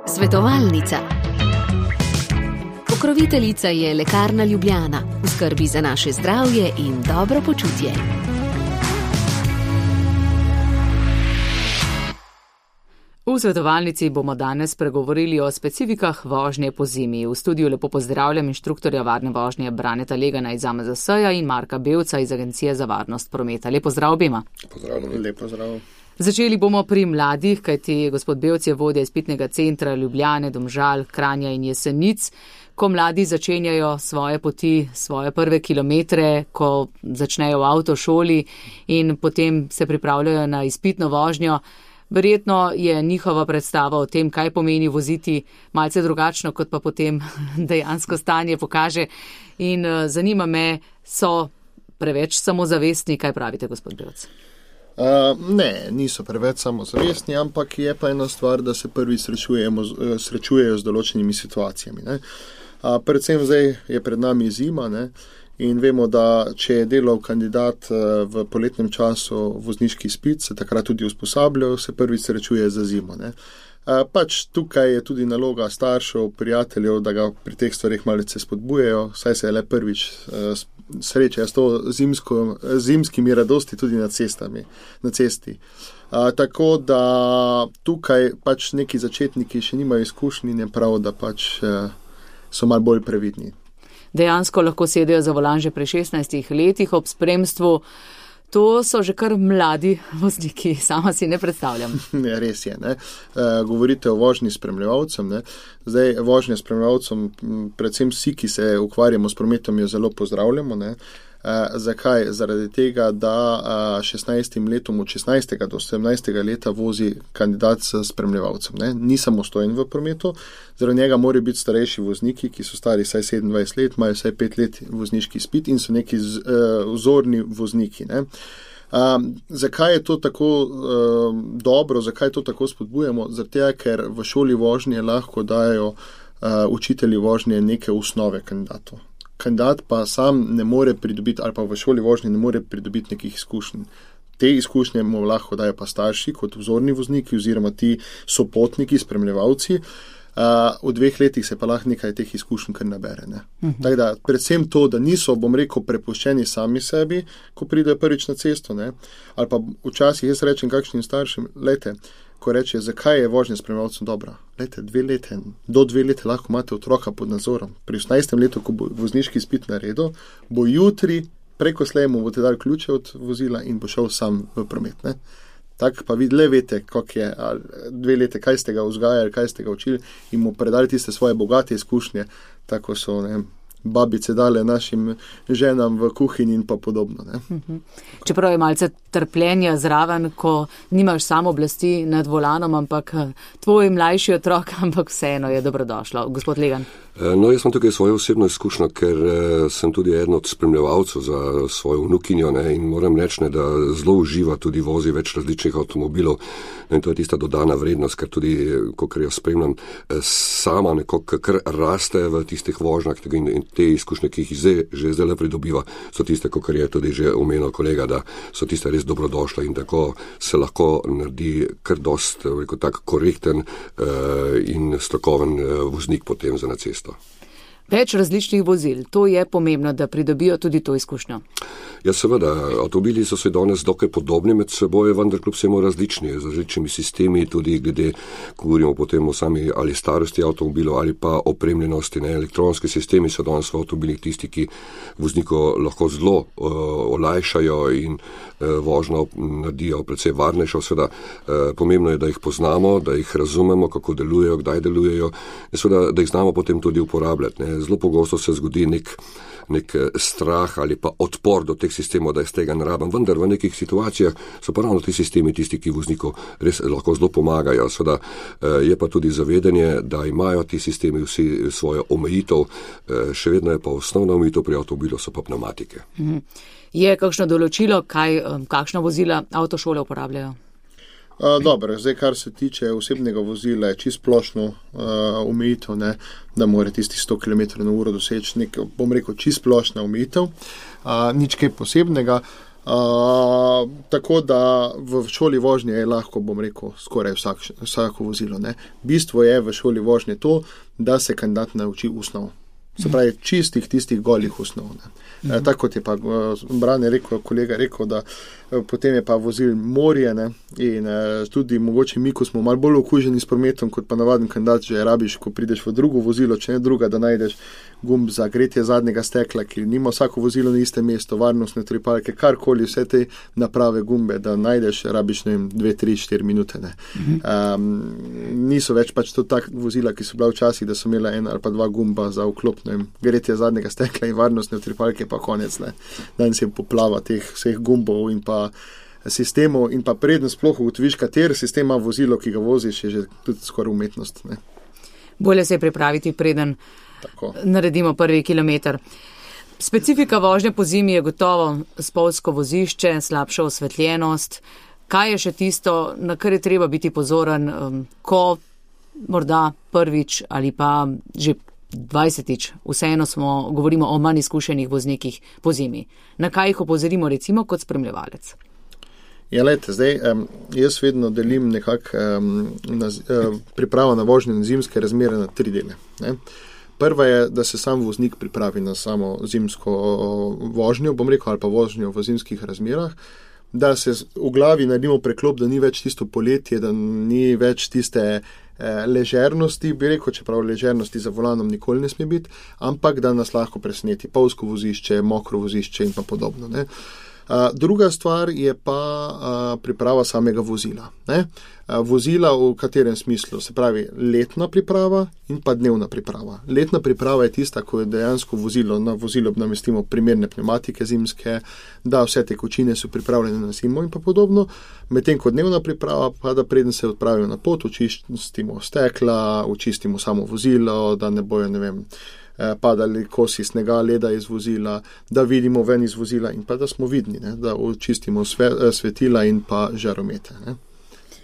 Svetovalnica. Pokroviteljica je Lekarna Ljubljana, v skrbi za naše zdravje in dobro počutje. V svetovalnici bomo danes pregovorili o specifikah vožnje po zimi. V studiu lepo pozdravljam inštruktorja varne vožnje Braneta Legana iz AMZS-ja in Marka Bevca iz Agencije za varnost prometa. Lep pozdrav obema. Pozdravljam. Lep pozdrav. Začeli bomo pri mladih, kajti gospod Bevc je vodja izpitnega centra Ljubljane, Domžal, Kranja in Jesenic. Ko mladi začenjajo svoje poti, svoje prve kilometre, ko začnejo v avtošoli in potem se pripravljajo na izpitno vožnjo, verjetno je njihova predstava o tem, kaj pomeni voziti, malce drugačno, kot pa potem dejansko stanje pokaže. In zanima me, so preveč samozavestni, kaj pravite, gospod Bevc? Ne, niso preveč samozavestni, ampak je pa ena stvar, da se prvi srečujejo z določenimi situacijami. Ne? Predvsem zdaj je pred nami zima, ne? In vemo, da če je delal kandidat v poletnem času vozniški izpit, se takrat tudi usposabljal, se prvi srečuje za zimo. Ne? Pač tukaj je tudi naloga staršev, prijateljev, da ga pri teh stvarih malce spodbujejo, saj se je le prvič sreča s to zimskimi radosti tudi na cesti. Tako da tukaj pač neki začetniki še nimajo izkušnji in je prav, da pač so malo bolj previdni. Dejansko lahko sedejo za volan že pri 16 letih ob spremstvu. To so že kar mladi vozniki, sama si ne predstavljam. Ne, res je. Ne? Govorite o vožnji s spremljevalcem. Ne? Zdaj, vožnja s spremljevalcem, predvsem vsi, ki se ukvarjamo s prometom, jo zelo pozdravljamo. Ne? Zakaj? Zaradi tega, da 16 letom od 16. do 17. leta vozi kandidat s spremljevalcem. Ne? Ni samostojen v prometu, zaradi njega morajo biti starejši vozniki, ki so stari vsaj 27 let, imajo vsaj 5 let vozniški izpit in so neki vzorni vozniki. Ne? Zakaj je to tako dobro, zakaj to tako spodbujamo? Zaradi tega, ker v šoli vožnje lahko dajo učitelji vožnje neke osnove kandidatov. Kandidat pa sam ne more pridobiti, ali pa v šoli vožnje ne more pridobiti nekih izkušenj. Te izkušnje mu lahko dajo pa starši kot vzorni vozniki oziroma ti sopotniki, spremljevalci. V 2 letih se pa lahko nekaj teh izkušenj kar nabere. Ne? Tako da predvsem to, da niso, bom rekel, prepuščeni sami sebi, ko pridejo prvič na cesto. Ne? Ali pa včasih jaz rečem kakšnim staršem, lejte, ko reče, zakaj je vožnja s spremljevalcem dobra. Lejte, 2 leta, do 2 leta lahko imate otroka pod nadzorom. Pri 18. letu, ko bo vozniški izpit naredil, bo jutri preko slej mu boste dali ključe od vozila in bo šel sam v promet. Ne? Tako pa vi le veste, kako je 2 leta, kaj ste ga vzgajali, kaj ste ga učili in mu predali tiste svoje bogate izkušnje, tako so babice dale našim ženam v kuhinji in pa podobno. Ne? Čeprav je malce trpljenja zraven, ko nimaš samo oblasti nad volanom, ampak tvoj mlajši otrok, ampak vseeno je dobrodošlo. Gospod Legan. No, jaz sem tukaj svojo osebno izkušnjo, ker sem tudi eden od spremljevalcev za svojo vnukinjo, ne, in moram reči, da zelo uživa, tudi vozi več različnih avtomobilov. In to je tista dodana vrednost, ker tudi, kot jo spremljam, sama nekako kar raste v tistih vožnjah in te izkušnje, ki jih že zdaj pridobiva, so tiste, kot je tudi že omenil kolega, da so tiste res dobrodošle in tako se lahko naredi kar dost tak korekten in strokoven voznik potem za na cesto. Več različnih vozil, to je pomembno, da pridobijo tudi to izkušnjo. Ja, seveda, avtomobili so se danes dokaj podobni med seboj, vendar kljub vsemu različni, z različnimi sistemi, tudi glede, ko govorimo potem o sami ali starosti avtomobilov ali pa opremljenosti. Ne? Elektronski sistemi so danes v avtomobilih tisti, ki vozniko lahko zelo olajšajo in vožnjo naredijo predvsej varnejšo. Seveda, pomembno je, da jih poznamo, da jih razumemo, kako delujejo, kdaj delujejo in seveda, da jih znamo potem tudi uporabljati. Ne? Zelo pogosto se zgodi nek strah ali pa odpor do teh sistemov, da je z tega ne rabim. Vendar v nekih situacijah so pa ravno ti sistemi tisti, ki vozniku res lahko zelo pomagajo. Seveda je pa tudi zavedanje, da imajo ti sistemi vsi svojo omejitev, še vedno je pa osnovna omejitev pri avtomobilu so pa pneumatike. Je kakšno določilo, kakšna vozila avtošole uporabljajo? Dobro, zdaj kar se tiče osebnega vozila, je čisto splošno omejitev, da mora tisti 100 km/h doseči, bom rekel, čisto splošna omejitev, nič kaj posebnega. Tako da v šoli vožnje je lahko, bom rekel, skoraj vsako vozilo. Ne. Bistvo je v šoli vožnje to, da se kandidat nauči osnov. Se pravi, čistih, tistih golih osnov. Tako kot je pa Brane rekel, kolega rekel, da potem je pa vozil morje, ne, in tudi mogoče mi, ko smo malo bolj okuženi s prometom, kot pa navaden kandidat, že rabiš, ko prideš v drugo vozilo, če ne druga, da najdeš gumb za gretje zadnjega stekla, ki nima vsako vozilo na istem mestu, varnostne tripalke, karkoli, vse te naprave gumbe, da najdeš, rabiš, ne vem, 2, 3, 4 minute. Ne. Niso več pač to tak vozila, ki so bila včasih, da so imela 1 ali pa 2 gumba za vklop, ne vem, gretje zadnjega stekla in varnostne tripalke, pa konec. Ne. Danes je poplava teh vseh gumbov in pa sistemov in pa predno sploh ugotoviš, kateri sistem ima vozilo, ki ga voziš, je že tudi skoraj umetnost. Ne. Bolje se je pripraviti, preden naredimo prvi kilometer. Specifika vožnje po zimi je gotovo spolzko vozišče, slabša osvetljenost. Kaj je še tisto, na kar je treba biti pozoren, ko morda prvič ali pa že 20-tič, vseeno govorimo o manj izkušenih voznikih po zimi. Na kaj jih opozorimo recimo kot spremljevalec? Ja, lejte, zdaj, jaz vedno delim nekako pripravo na vožnje na zimske razmere na 3 dele. Ne. Prva je, da se sam voznik pripravi na samo zimsko vožnjo, bom rekel, ali pa vožnjo v zimskih razmerah, da se v glavi naredimo preklop, da ni več tisto poletje, da ni več tiste ležernosti, bi rekel, čeprav ležernosti za volanom nikoli ne sme biti, ampak da nas lahko preseneti pavsko vozišče, mokro vozišče in pa podobno. Ne. Druga stvar je pa priprava samega vozila. Ne. Vozila v katerem smislu, se pravi letna priprava in pa dnevna priprava. Letna priprava je tista, ko je dejansko na vozilo namestimo primerne pneumatike zimske, da vse tekočine so pripravljene na zimo in pa podobno, medtem ko dnevna priprava pa da preden se odpravijo na pot, očistimo stekla, očistimo samo vozilo, da ne bojo, ne vem, padali kosi snega, leda iz vozila, da vidimo ven iz vozila in pa da smo vidni, ne, da očistimo svetila in pa žaromete. Ne.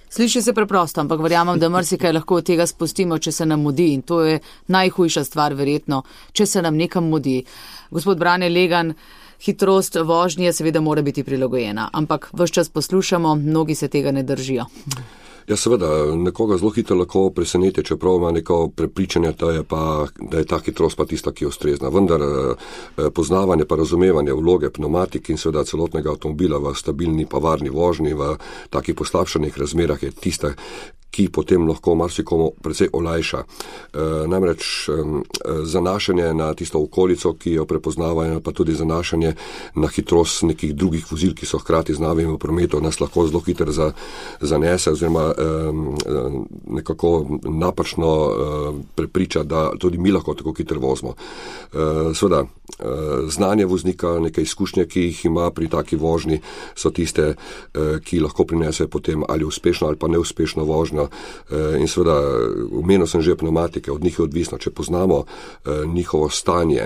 Sliši se preprosto, ampak verjamem, da marsikaj lahko od tega spustimo, če se nam mudi in to je najhujša stvar verjetno, če se nam nekam mudi. Gospod Brane Legan, hitrost vožnje seveda mora biti prilagojena, ampak ves čas poslušamo, mnogi se tega ne držijo. Ja, seveda, nekoga zelo hitro lahko preseneti, čeprav ima neko prepričanje, da je ta hitrost pa tista, ki je ustrezna. Vendar poznavanje pa razumevanje vloge pneumatik in seveda celotnega avtomobila v stabilni pa varni vožnji v takih poslabšanih razmerah je tista, ki potem lahko marsikomu precej olajša. Namreč zanašanje na tisto okolico, ki jo prepoznavajo, pa tudi zanašanje na hitrost nekih drugih vozil, ki so hkrati z nami v prometu, nas lahko zelo hitro zanese oziroma nekako napačno prepriča, da tudi mi lahko tako hitro vozimo. Seveda, znanje voznika, neke izkušnje, ki jih ima pri taki vožnji, so tiste, ki lahko prinesejo potem ali uspešno ali pa neuspešno vožnjo. In seveda, omenil sem že pneumatike, od njih je odvisno, če poznamo njihovo stanje,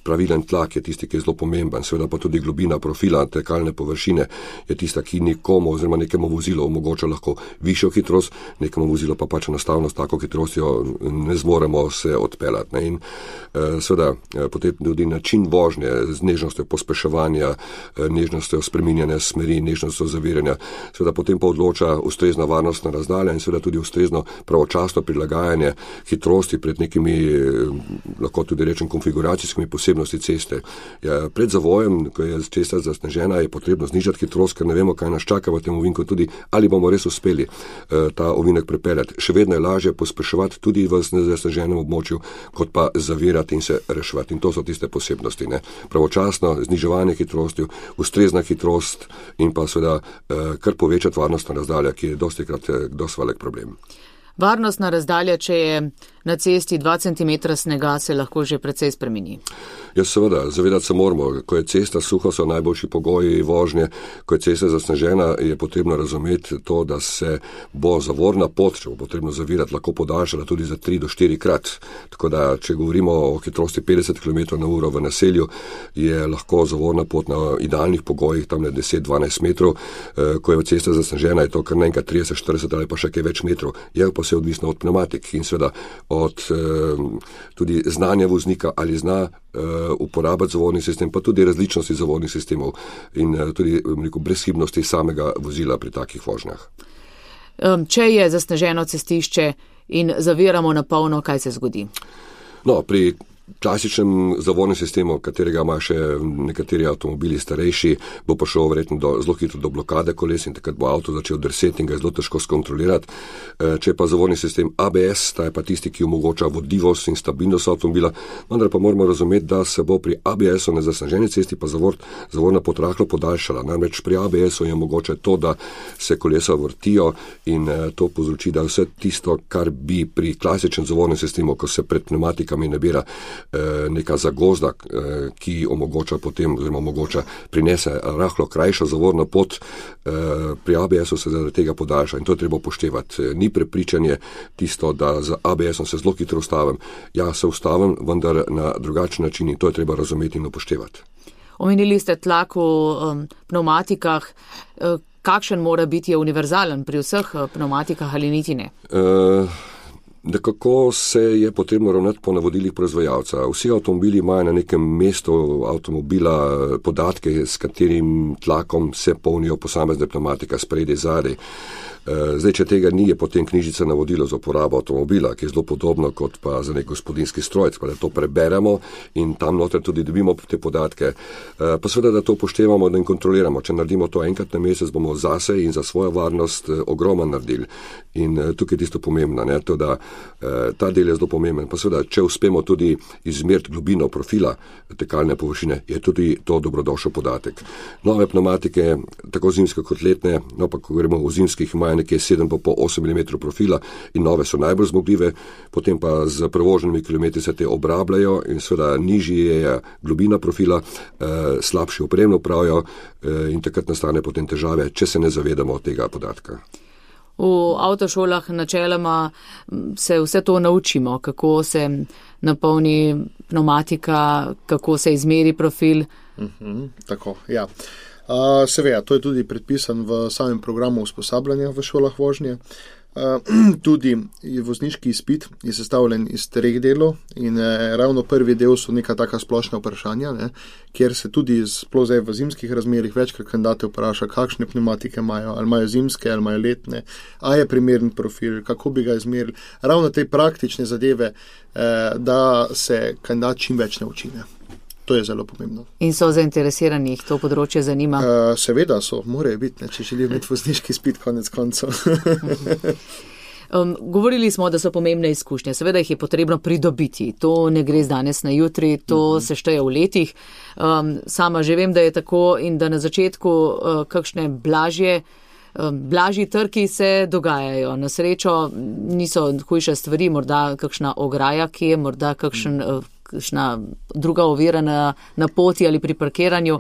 pravilen tlak je tisti, ki je zelo pomemben, seveda pa tudi globina profila tekalne površine je tista, ki nikomu oziroma nekemu vozilu omogoča lahko višjo hitrost, nekemu vozilu pa pač enostavno s tako hitrostjo ne zmoremo se odpeljati. Ne? In seveda potem tudi način vožnje z nežnostjo pospeševanja, nežnostjo spreminjanja smeri, nežnostjo zaviranja, seveda potem pa odloča ustrezna varnostna razdalja in seveda tudi ustrezno pravočasno prilagajanje hitrosti pred nekimi, lahko tudi rečem, konfiguracijskimi posebnosti ceste. Ja, pred zavojem, ko je cesta zasnežena, je potrebno znižati hitrost, ker ne vemo, kaj nas čaka v tem ovinku, tudi ali bomo res uspeli ta ovinek prepeljati. Še vedno je lažje pospeševati tudi v zasneženem območju, kot pa zavirati in se reševati. In to so tiste posebnosti. Ne? Pravočasno zniževanje hitrosti, ustrezna hitrost in pa seveda kar povečati varnostna razdalja, ki je dostikrat velik problem. Varnostna razdalja, če je na cesti 2 cm snega, se lahko že precej spremeni. Ja, seveda, zavedati se moramo, ko je cesta suha, so najboljši pogoji vožnje, ko je cesta zasnežena, je potrebno razumeti to, da se bo zavorna pot, če bo potrebno zavirati, lahko podaljšala tudi za 3 do 4 krat. Tako da, če govorimo o hitrosti 50 km/h v naselju, je lahko zavorna pot na idealnih pogojih, tam 10-12 metrov, ko je cesta zasnežena, je to kar naenkrat 30-40 ali pa še kaj več metrov. Je pa vse odvisno od pneumatik in seveda od tudi znanja voznika, ali zna uporabiti zavorni sistem, pa tudi različnosti zavornih sistemov in tudi brezhibnosti samega vozila pri takih vožnjah. Če je zasneženo cestišče in zaviramo na polno, kaj se zgodi? No, pri klasičnem zavornem sistemu, katerega ima še nekateri avtomobili starejši, bo prišel verjetno zelo hitro do blokade koles in takrat bo avto začel drseti in ga je zelo težko skontrolirati. Če pa zavorni sistem ABS, ta je pa tisti, ki omogoča vodljivost in stabilnost avtomobila, vendar pa moramo razumeti, da se bo pri ABS-u na zasneženi cesti pa zavorna pot rahlo podaljšala. Namreč pri ABS-u je mogoče to, da se kolesa vrtijo in to povzroči, da vse tisto, kar bi pri klasičnem zavornem sistemu, ko se pred pneumatikami nabira neka zagozda, ki omogoča potem, oziroma omogoča prinese rahlo krajšo zavorno pot, pri ABS-u se zaradi tega podaljša in to je treba upoštevati. Ni prepričanje tisto, da z ABS-om se zelo hitro ustavim. Ja, se ustavim, vendar na drugačen način in to je treba razumeti in upoštevati. Omenili ste tlak v pneumatikah. Kakšen mora biti, je univerzalen pri vseh pneumatikah ali niti ne? Nekako se je potrebno ravnati po navodilih proizvajalca. Vsi avtomobili imajo na nekem mestu avtomobila podatke, s katerim tlakom se polnijo posamezne pneumatika spredaj, zadaj. Zdaj, če tega ni, je potem knjižica navodilo za uporabo avtomobila, ki je zelo podobno kot pa za nek gospodinjski strojec, pa da to preberemo in tam noter tudi dobimo te podatke. Pa seveda, da to upoštevamo in kontroliramo. Če naredimo to enkrat na mesec, bomo zase in za svojo varnost ogromno naredili. In tukaj je tisto pomembno, ne? To, da ta del je zelo pomemben. Pa seveda, če uspemo tudi izmeriti globino profila tekalne površine, je tudi to dobrodošel podatek. Nove pneumatike, tako zimske kot letne, no pa ko govorimo o zimskih, imajo nekje 7,8 mm profila in nove so najbolj zmogljive, potem pa z prevoženimi kilometri se te obrabljajo in seveda nižji je globina profila, slabši opremno pravijo in takrat nastane potem težave, če se ne zavedamo tega podatka. V avtošolah načeloma se vse to naučimo, kako se napolni pneumatika, kako se izmeri profil. Tako, ja. Seveda, to je tudi predpisan v samem programu usposabljanja v šolah vožnje. Tudi vozniški izpit je sestavljen iz 3 delov in ravno prvi del so neka taka splošna vprašanja, ne, kjer se tudi sploh zdaj v zimskih razmerih večkrat kandidate vpraša, kakšne pneumatike imajo, ali imajo zimske, ali imajo letne, a je primeren profil, kako bi ga izmerili. Ravno te praktične zadeve, da se kandidat čim več nauči. To je zelo pomembno. In so zainteresirani, jih to področje zanima? Seveda so, morajo biti, ne, če želijo imeti vozniški izpit konec koncev. Govorili smo, da so pomembne izkušnje. Seveda jih je potrebno pridobiti. To ne gre z danes na jutri, to se šteje v letih. Sama že vem, da je tako in da na začetku kakšne blažji trki se dogajajo. Na srečo niso hujše stvari, morda kakšna ograja, ki je morda kakšna druga ovira na poti ali pri parkiranju.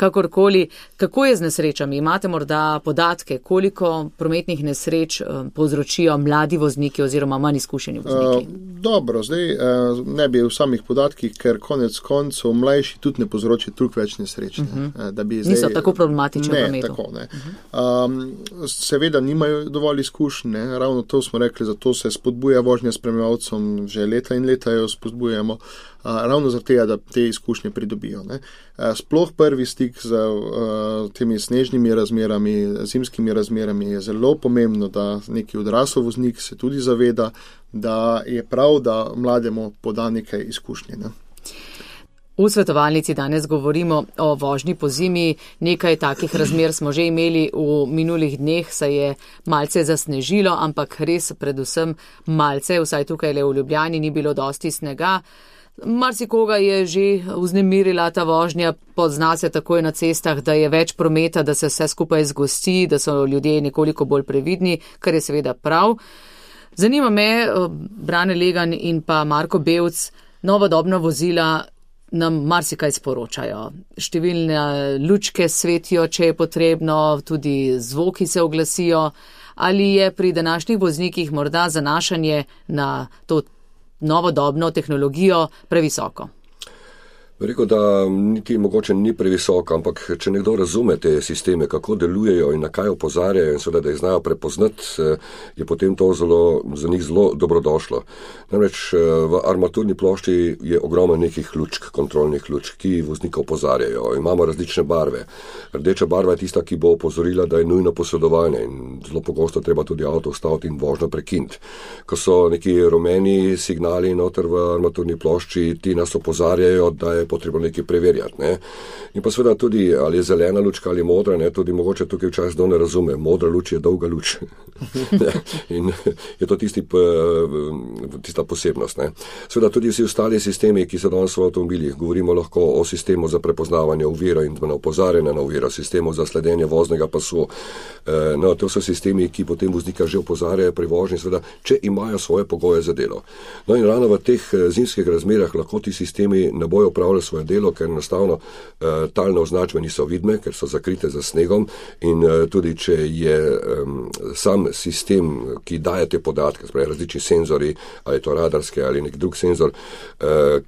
Kakorkoli, kako je z nesrečami? Imate morda podatke, koliko prometnih nesreč povzročijo mladi vozniki oziroma manj izkušeni vozniki? Dobro, zdaj ne bi v samih podatkih, ker konec koncev mlajši tudi ne povzroči toliko več nesreč. Niso tako problematični v prometu. Tako, ne. Seveda nimajo dovolj izkušenj, ravno to smo rekli, zato se spodbuja vožnja spremljevalcem, že leta in leta jo spodbujamo. Ravno zaradi tega, da te izkušnje pridobijo. Ne. Sploh prvi stik z temi snežnimi razmerami, zimskimi razmerami je zelo pomembno, da neki odrasel voznik se tudi zaveda, da je prav, da mlademu poda nekaj izkušnje. Ne. V svetovalnici danes govorimo o vožnji po zimi. Nekaj takih razmer smo že imeli v minulih dneh, se je malce zasnežilo, ampak res predvsem malce, vsaj tukaj le v Ljubljani ni bilo dosti snega. Marsikoga je že vznemirila ta vožnja, pozna se takoj na cestah, da je več prometa, da se vse skupaj zgosti, da so ljudje nekoliko bolj previdni, kar je seveda prav. Zanima me, Brane Legan in pa Marko Bevc, novodobna vozila nam marsikaj sporočajo. Številne lučke svetijo, če je potrebno, tudi zvoki se oglasijo. Ali je pri današnjih voznikih morda zanašanje na to novodobno tehnologijo previsoko? Rekel, da niti mogoče ni previsok, ampak če nekdo razume te sisteme, kako delujejo in na kaj opozarjajo in seveda, da jih znajo prepoznati, je potem to za njih zelo dobrodošlo. Namreč v armaturni plošči je ogromno nekih lučk, kontrolnih lučk, ki voznika opozarjajo. Imamo različne barve. Rdeča barva je tista, ki bo opozorila, da je nujno posredovanje in zelo pogosto treba tudi avto ustaviti in vožnjo prekiniti. Ko so neki rumeni signali noter v armaturni plošči, ti nas opozarjajo, da je potrebno nekaj preverjati. Ne? In pa seveda tudi, ali je zelena lučka ali modra, ne? Tudi mogoče tukaj včasih ne razume. Modra luč je dolga luč. In je to tista posebnost. Ne? Seveda tudi vsi ostali sistemi, ki so danes v avtomobilih, govorimo lahko o sistemu za prepoznavanje ovira in na opozarjanje na oviro, sistemu za sledenje voznega pasu. No, to so sistemi, ki potem voznika že opozarjajo pri vožnji, seveda, če imajo svoje pogoje za delo. No in ravno v teh zimskih razmerah lahko ti sistemi ne bojo opravljali svoje delo, ker enostavno talne označbe niso vidne, ker so zakrite za snegom in tudi, če je sam sistem, ki daje te podatke, spravi različni senzori, ali je to radarske ali nek drug senzor,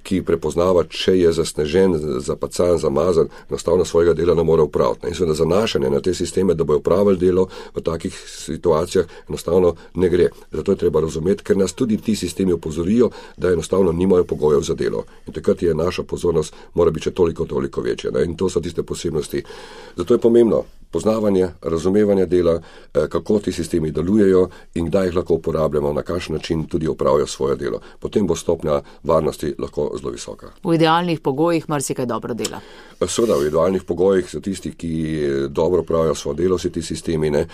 ki prepoznava, če je zasnežen, zapacan, zamazan, enostavno svojega dela ne more upraviti. In seveda zanašanje na te sisteme, da bojo upravili delo v takih situacijah, enostavno ne gre. Zato je treba razumeti, ker nas tudi ti sistemi opozorijo, da enostavno nimajo pogojev za delo. In takrat je naša pozornost mora biti še toliko večja. Ne? In to so tiste posebnosti. Zato je pomembno poznavanje, razumevanje dela, kako ti sistemi delujejo in kdaj jih lahko uporabljamo, na kakšen način tudi opravijo svoje delo. Potem bo stopnja varnosti lahko zelo visoka. V idealnih pogojih marsikaj dobro dela. Seveda, v idealnih pogojih so tisti, ki dobro opravijo svoje delo, vsi ti sistemi, ne.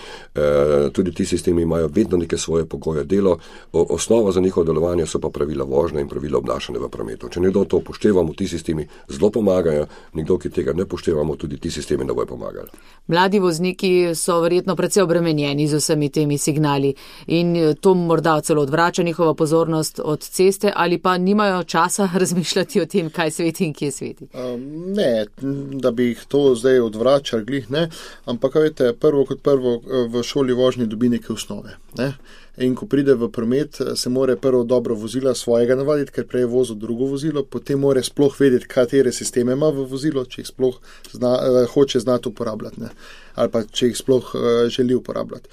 Tudi ti sistemi imajo vedno neke svoje pogoje delo. Osnova za njihovo delovanje so pa pravila vožnje in pravila obnašanja v prometu. Če nekdo to upoštevamo, ti sistemi zelo pomagajo, nekdo, ki tega ne upoštevamo, tudi ti sistemi ne bojo pomagali. Mladi vozniki so verjetno precej obremenjeni z vsemi temi signali in to morda celo odvrača njihovo pozornost od ceste ali pa nimajo časa razmišljati o tem, kaj sveti in kje sveti. Ne, da bi jih to zdaj odvračali, glih ne, ampak veste, prvo v šoli vožnje dobi neke osnove. Ne? In ko pride v promet, se more prvo dobro vozila svojega navaditi, ker prej je vozil drugo vozilo, potem more sploh vedeti, katere sisteme ima v vozilo, če jih sploh hoče znati uporabljati, ne? Ali pa če jih sploh želi uporabljati.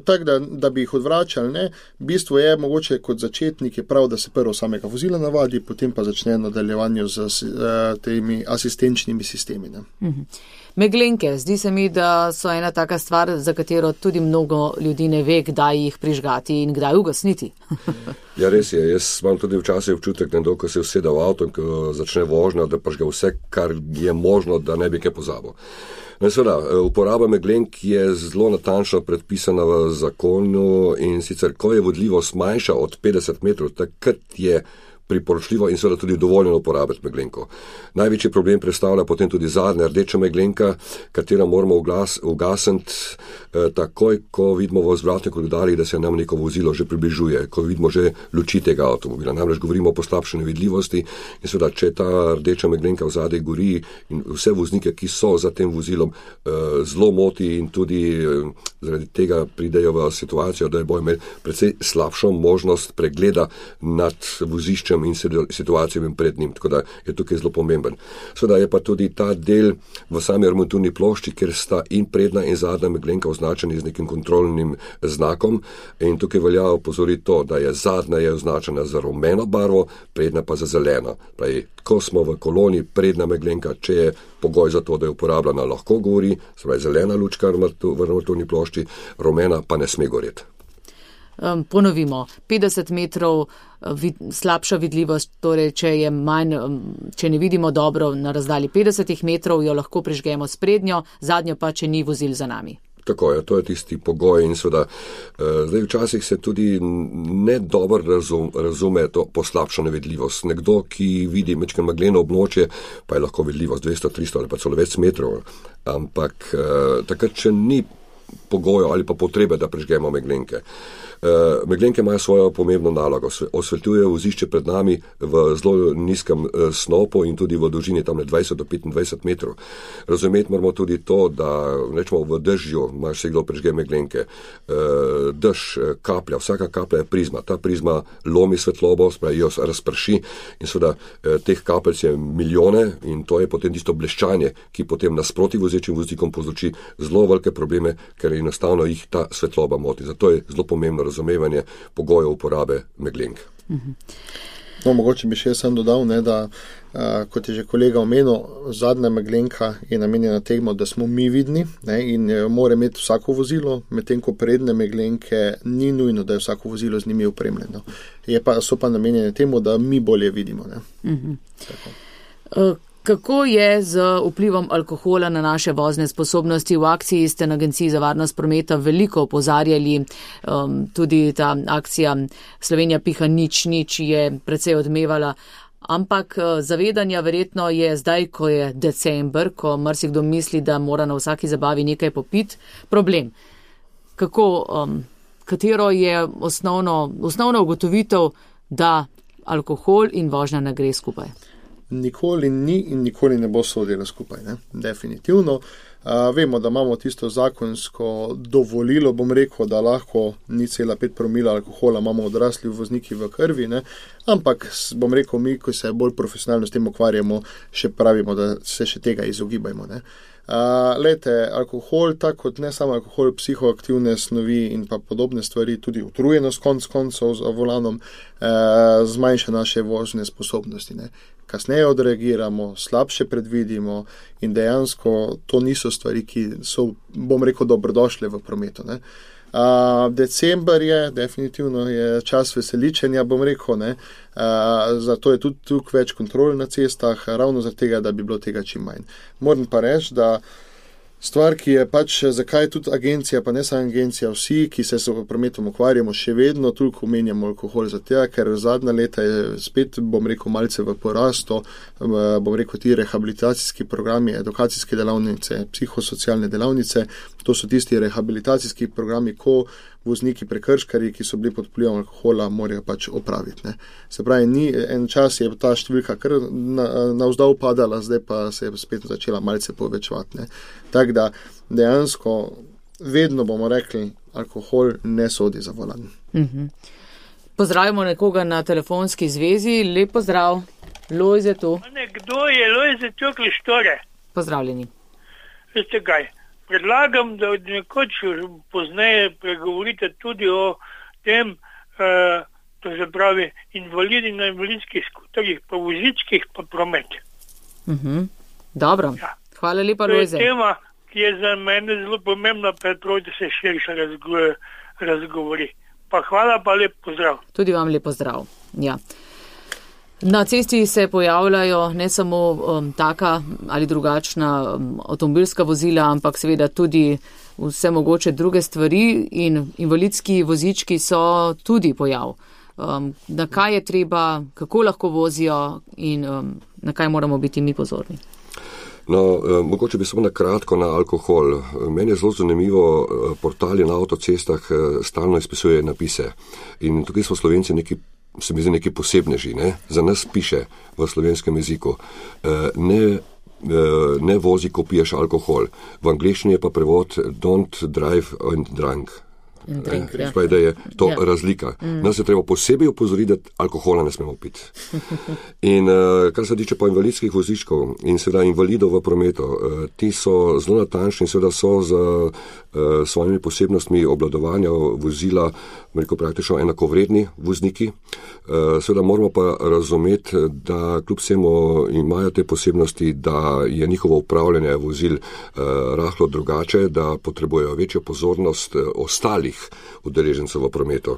Tako da bi jih odvračali, ne, bistvo je mogoče kot začetnik je prav, da se prvo samega vozila navadi, potem pa začne nadaljevanje z temi asistenčnimi sistemi. Ne. Meglenke, zdi se mi, da so ena taka stvar, za katero tudi mnogo ljudi ne ve, kdaj jih prižgati in kdaj ugasniti. Ja, res je. Jaz imam tudi včasih občutek, ko se usede v avto in ko začne vožnja, da pažga vse, kar je možno, da ne bi kaj pozabil. Seveda, uporaba meglenk je zelo natančno predpisana v zakonu in sicer, ko je vodljivost manjša od 50 metrov, takrat je priporočljivo in seveda tudi dovoljeno uporabiti meglenko. Največji problem predstavlja potem tudi zadnja rdeča meglenka, katero moramo ugasniti takoj, ko vidimo v vzvratnih koridorjih, da se nam neko vozilo že približuje, ko vidimo že luči tega avtomobila. Namreč govorimo o poslabšanju vidljivosti in seveda, če ta rdeča meglenka v zadaj gori in vse voznike, ki so za tem vozilom, zelo moti in tudi zaradi tega pridejo v situacijo, da bojo imeli precej slabšo možnost pregleda nad voziščem in situacijami pred njim, tako da je tukaj zelo pomemben. Seveda je pa tudi ta del v sami armaturni plošči, kjer sta in prednja in zadnja meglenka označeni z nekim kontrolnim znakom in tukaj velja opozoriti to, da je zadnja je označena za rumeno barvo, prednja pa za zeleno. Pravi, ko smo v koloni, prednja meglenka, če je pogoj za to, da je uporabljena, lahko gori, spravi zelena lučka v armaturni plošči, rumena pa ne sme goreti. Ponovimo, 50 metrov slabša vidljivost, torej če ne vidimo dobro na razdalji 50 metrov, jo lahko prižgemo s prednjo, zadnjo pa, če ni vozil za nami. Tako je, to je tisti pogoj in seveda zdaj včasih se tudi ne dobro razume to poslabšano vidljivost. Nekdo, ki vidi mečkaj megleno območje, pa je lahko vidljivost 200, 300 ali pa celo več metrov, ampak takrat, če ni pogojev ali pa potrebe, da prižgemo meglenke. Meglenke imajo svojo pomembno nalogo, osvetljujejo vozišče pred nami v zelo nizkem snopu in tudi v dolžini tam 20 do 25 metrov. Razumeti moramo tudi to, da rečemo v dežju, imaš se kdo prižge meglenke, dež, kaplja, vsaka kaplja je prizma, ta prizma lomi svetlobo, spravi jo razprši in seveda teh kapelj je milijone in to je potem tisto bleščanje, ki potem nasproti vozečim voznikom povzroči zelo velike probleme, ker enostavno jih ta svetloba moti. Zato je zelo pomembno razumevanje pogojev uporabe meglenk. No, mogoče bi še sam dodal, ne, da kot je že kolega omenil, zadnja meglenka je namenjena temu, da smo mi vidni, ne, in mora imeti vsako vozilo, medtem ko prednje meglenke ni nujno, da je vsako vozilo z njimi opremljeno. So pa namenjene temu, da mi bolje vidimo. Ne. Kako je z vplivom alkohola na naše vozne sposobnosti? V akciji ste na Agenciji za varnost prometa veliko opozarjali, tudi ta akcija Slovenija piha nič je precej odmevala, ampak zavedanja verjetno je zdaj, ko je december, ko marsikdo misli, da mora na vsaki zabavi nekaj popiti, problem. Katero je osnovna ugotovitev, da alkohol in vožnja ne gre skupaj? Nikoli ni in nikoli ne bo sodila skupaj, ne? Definitivno. Vemo, da imamo tisto zakonsko dovolilo, bom rekel, da lahko 0,5 promila alkohola imamo odrasli vozniki v krvi, ne? Ampak bom rekel, mi, ko se bolj profesionalno s tem ukvarjamo, še pravimo, da se še tega izogibajmo. Ne? Alkohol, tako kot ne samo alkohol, psihoaktivne snovi in pa podobne stvari, tudi utrujenost koncev za volanom, zmanjša naše vožne sposobnosti. Ne? Kasneje odreagiramo, slabše predvidimo in dejansko to niso stvari, ki so, bom rekel, dobrodošle v prometu. Ne? December je, definitivno je čas veseličenja, bom rekel, ne? Zato je tudi tukaj več kontrol na cestah, ravno zaradi tega, da bi bilo tega čim manj. Moram pa reči, da stvar, ki je pač, zakaj tudi agencija, pa ne samo agencija, vsi, ki se s prometom ukvarjamo, še vedno toliko omenjamo alkohol za tega, ker zadnja leta je spet, bom rekel, malce v porastu, bom rekel, ti rehabilitacijski programi, edukacijske delavnice, psihosocialne delavnice, to so tisti rehabilitacijski programi, ko vozniki prekrškarji, ki so bili pod vplivom alkohola, morajo pač opraviti. Ne. Se pravi, en čas je ta številka kar navzdol padala, zdaj pa se je spet začela malce povečevati. Tako da dejansko vedno bomo rekli, alkohol ne sodi za volan. Pozdravimo nekoga na telefonski zvezi. Lep pozdrav. Lojze tu. Kdo je Lojze Čokli Štore? Pozdravljeni. Veste kaj? Predlagam, da nekoč pozneje pregovorite tudi o tem, to se pravi, invalidi na invalidskih skuterjih, pa vozičkih, pa promet. Dobro. Ja. Hvala lepa, Lojze. To je tema, ki je za mene zelo pomembna, pa da se širše razgovori. Pa hvala, pa lep pozdrav. Tudi vam lep pozdrav. Ja. Na cesti se pojavljajo ne samo taka ali drugačna avtomobilska vozila, ampak seveda tudi vse mogoče druge stvari in invalidski vozički so tudi pojav. Na kaj je treba, kako lahko vozijo in na kaj moramo biti mi pozorni? No, mogoče bi samo na kratko na alkohol. Meni je zelo zanimivo, portali na avtocestah stalno izpisuje napise in tukaj smo Slovenci se mi zdi neki posebneži, ne? Za nas piše v slovenskem jeziku, ne vozi, ko piješ alkohol. V angleščini je pa prevod don't drive and drunk. Da je to razlika. Nas je treba posebej opozoriti, da alkohola ne smemo piti. In kar se tiče pa invalidskih vozičkov in seveda invalidov v prometu, ti so zelo natančni, seveda so z svojimi posebnostmi obvladovanja vozila, rekel praktično enakovredni vozniki. Seveda moramo pa razumeti, da kljub vsemu imajo te posebnosti, da je njihovo upravljanje vozil rahlo drugače, da potrebujejo večjo pozornost ostalih udeležencev v prometu.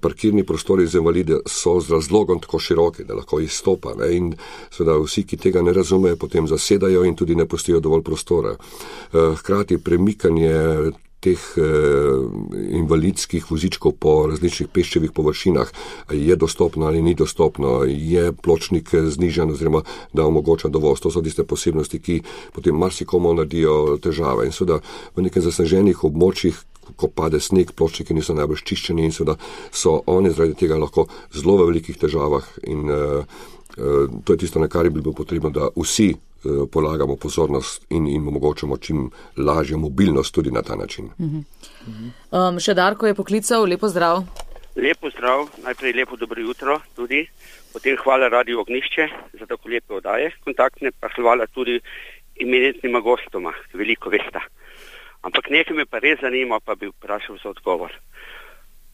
Parkirni prostori za invalide so z razlogom tako široki, da lahko izstopa, ne? In seveda vsi, ki tega ne razumejo, potem zasedajo in tudi ne pustijo dovolj prostora. Hkrati premikanje teh invalidskih vozičkov po različnih peščevih površinah, je dostopno ali ni dostopno, je pločnik znižan oziroma da omogoča dovoz. To so tiste posebnosti, ki potem marsikomu naredijo težave. In seveda v nekem zasneženih območjih, ko pade sneg, pločniki niso najbolj čiščeni in seveda so oni zaradi tega lahko zelo v velikih težavah in to je tisto, na kar bi bilo potrebno, da vsi polagamo pozornost in omogočamo čim lažjo mobilnost tudi na ta način. Še Darko je poklical, lepo zdrav. Lepo zdrav, najprej lepo dobro jutro tudi, potem hvala Radio Ognjišče za tako lepe oddaje kontaktne, pa hvala tudi imenitnima gostoma, veliko vesta. Ampak nekaj me pa res zanima, pa bi vprašal za odgovor.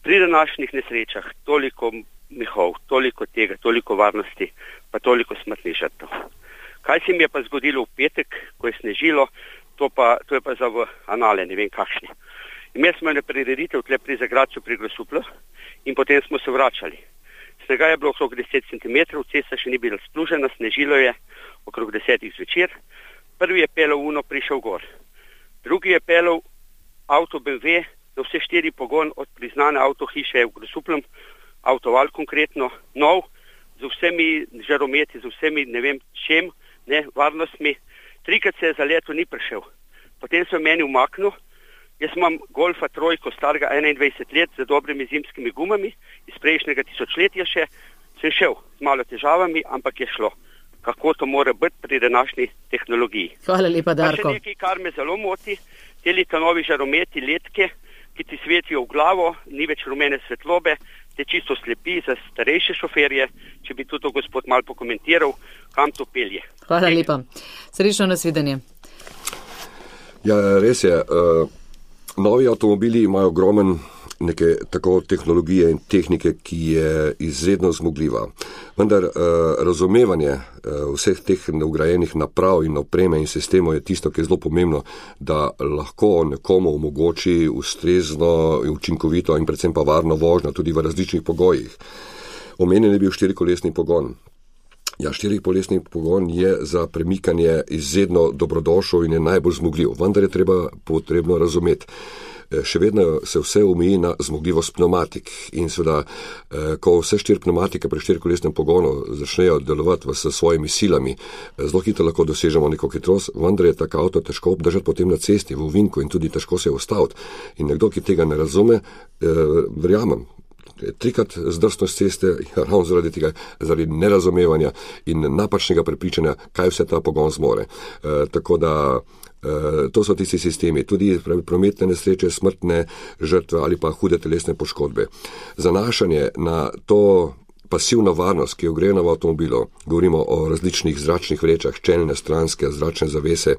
Pri današnjih nesrečah toliko mihov, toliko tega, toliko varnosti, pa toliko smrtnih žrtev. Kaj se mi je pa zgodilo v petek, ko je snežilo, to je pa za v anale, ne vem kakšni. Imeli smo eno prireditev tle pri Zagradcu pri Grosuplju in potem smo se vračali. Snega je bilo okrog 10 cm, cesta še ni bila splužena, snežilo je okrog 10 zvečer. Prvi je pelov Uno prišel gor. Drugi je pelov avto BMW, za vse 4 pogon od priznane avtohiše v Grosupljem, avtoval konkretno, nov, z vsemi žarometi, z vsemi ne vem čem, varnostmi. 3-krat se je za leto ni prišel. Potem se je meni umaknil. Jaz imam Golfa trojko starega 21 let z dobrimi zimskimi gumami, iz prejšnjega tisočletja še, sem šel z malo težavami, ampak je šlo. Kako to mora biti pri današnji tehnologiji. Hvala lepa, Darko. Pa še nekaj, kar me zelo moti, te novi žarometi, letke, ki ti svetijo v glavo, ni več rumene svetlobe, te čisto slepi za starejše šoferje, če bi tudi gospod malo pokomentiral, kam to pelje. Hvala lepa. Srečno nasvidenje. Ja, res je. Novi avtomobili imajo ogromen neke tako tehnologije in tehnike, ki je izredno zmogljiva. Vendar razumevanje vseh teh vgrajenih naprav in opreme in sistemov je tisto, ki je zelo pomembno, da lahko nekomu omogoči ustrezno, učinkovito in predvsem pa varno vožnjo tudi v različnih pogojih. Omenjen je bil 4-kolesni pogon. Ja, 4-kolesni pogon je za premikanje izredno dobrodošel in je najbolj zmogljiv, vendar je potrebno razumeti. Še vedno se vse omeji na zmogljivost pneumatik in seveda, ko vse 4 pneumatike pri 4-kolesnem pogonu začnejo delovati s svojimi silami, zelo hitro lahko dosežemo neko hitrost, vendar je tak avto težko obdržati potem na cesti, v ovinku in tudi težko se ustaviti. In nekdo, ki tega ne razume, verjamem, 3-krat zdrsno s ceste, ravno zaradi tega, zaradi nerazumevanja in napačnega prepričanja, kaj vse ta pogon zmore. Tako da to so tisti sistemi, tudi prometne nesreče, smrtne žrtve ali pa hude telesne poškodbe. Zanašanje na to pasivno varnost, ki je vgrajena v avtomobilu, govorimo o različnih zračnih vrečah, čelne, stranske, zračne zavese,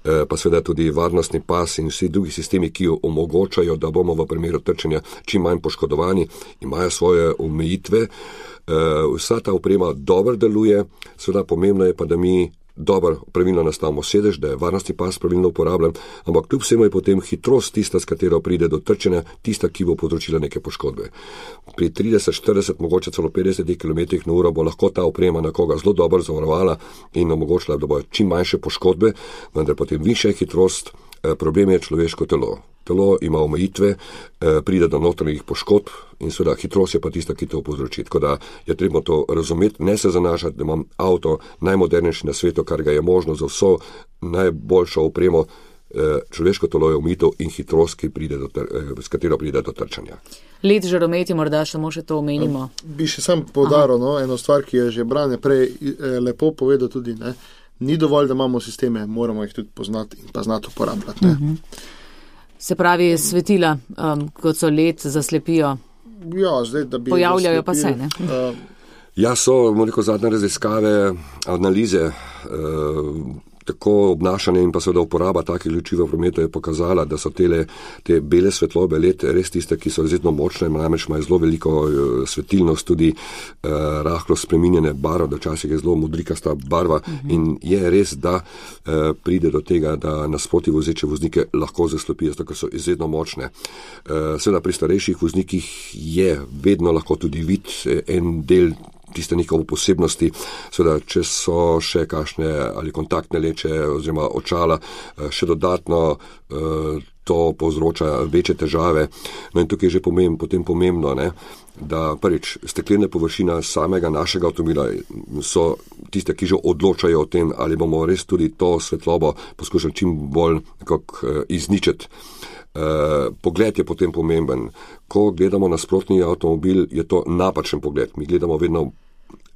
pa seveda tudi varnostni pas in vsi drugi sistemi, ki omogočajo, da bomo v primeru trčenja čim manj poškodovani, imajo svoje omejitve. Vsa ta oprema dobro deluje, seveda pomembno je pa, da mi dobro, pravilno nastavimo sedež, da je varnostni pas pravilno uporabljen, ampak kljub vsemu je potem hitrost tista, s katero pride do trčenja, tista, ki bo povzročila neke poškodbe. Pri 30, 40, mogoče celo 50 km/h bo lahko ta oprema nekoga zelo dobro zavarovala in omogočila, da bo čim manjše poškodbe, vendar potem višja hitrost, problem je človeško telo. Telo ima omejitve, pride do notranjih poškodb in seveda hitrost je pa tista, ki to povzroči. Tako da je treba to razumeti, ne se zanašati, da imam avto najmodernejši na svetu, kar ga je možno za vso najboljšo opremo. Človeško telo je omejitev in hitrost, s katero pride do trčanja. Let žarometi, morda samo še to omenimo. Bi še sam poudaril eno stvar, ki je že Brane prej lepo povedal tudi, ne? Ni dovolj, da imamo sisteme, moramo jih tudi poznati in pa znati uporabljati. Se pravi, svetila, kot so LED, zaslepijo. Ja, zdaj, da bi pojavljajo pa se, ne? Ja, so, zadnje raziskave, analize, tako obnašanje in pa seveda uporaba takih luči v prometu je pokazala, da so te bele svetlobe LED res tiste, ki so izredno močne, namreč imajo zelo veliko svetilnost, tudi rahlo spreminjene barve, da včasih je zelo modrikasta barva in je res, da pride do tega, da nasproti vozeče voznike lahko zaslepijo, ker so izredno močne. Seveda pri starejših voznikih je vedno lahko tudi vid en del tiste njihove posebnosti, seveda, če so še kakšne ali kontaktne leče oziroma očala, še dodatno to povzroča večje težave. No in tukaj je že potem pomembno, ne, da prvič steklene površina samega našega avtomobila so tiste, ki že odločajo o tem, ali bomo res tudi to svetlobo poskušali čim bolj izničiti. Pogled je potem pomemben. Ko gledamo nasprotni avtomobil, je to napačen pogled. Mi gledamo vedno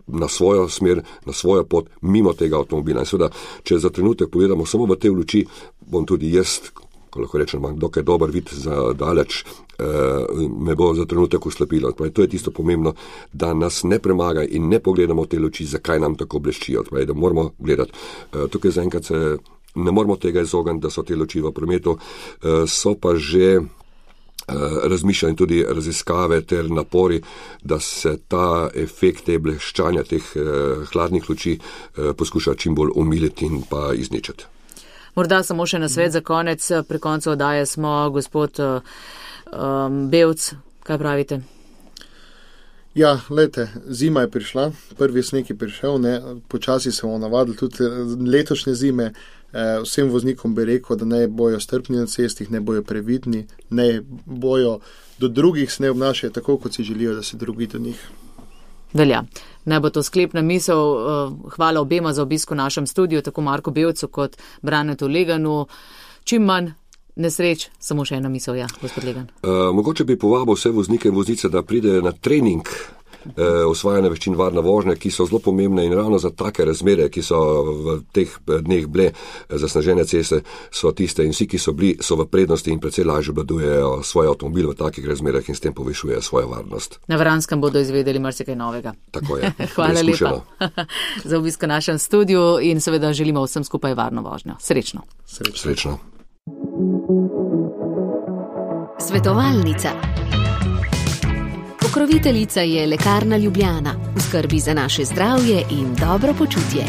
na svojo smer, na svojo pot, mimo tega avtomobila. In seveda, če za trenutek pogledamo samo v te luči, bom tudi jaz, ko lahko rečem, dokaj dober vid za daleč, me bo za trenutek uslabilo. To je tisto pomembno, da nas ne premaga in ne pogledamo te luči, zakaj nam tako bleščijo. Da moramo gledati. Tukaj zaenkrat se ne moramo tega izogniti, da so te luči v prometu, so pa že razmišljanje tudi raziskave ter napori, da se ta efekt te bleščanja, teh hladnih luči poskuša čim bolj omiliti in pa izničiti. Morda samo še nasvet za konec, pri koncu oddaje smo, gospod Bevc, kaj pravite? Ja, lejte, zima je prišla, prvi sneg je prišel, počasi se bomo navadili tudi letošnje zime. Vsem voznikom bi rekel, da ne bojo strpni na cestih, ne bojo previdni, ne bojo do drugih se ne obnašajo tako, kot si želijo, da se drugi do njih. Velja. Naj bo to sklepna misel. Hvala obema za obisk v našem studiu, tako Marku Bevcu kot Branetu Leganu. Čim manj nesreč, samo še ena misel, ja, gospod Legan. Mogoče bi povabil vse voznike in voznice, da pridejo na trening osvajanja veščin varne vožnje, ki so zelo pomembne in ravno za take razmere, ki so v teh dneh bile zasnežene ceste, so tiste in vsi, ki so bili, so v prednosti in precej lažje obvladujejo svoj avtomobil v takih razmerah in s tem povišujejo svojo varnost. Na Vranskem bodo izvedeli marsikaj novega. Tako je. Hvala lepa za obisk v našem studiu in seveda želimo vsem skupaj varno vožnjo. Srečno. Srečno. Svetovalnica. Pokroviteljica je Lekarna Ljubljana, v skrbi za naše zdravje in dobro počutje.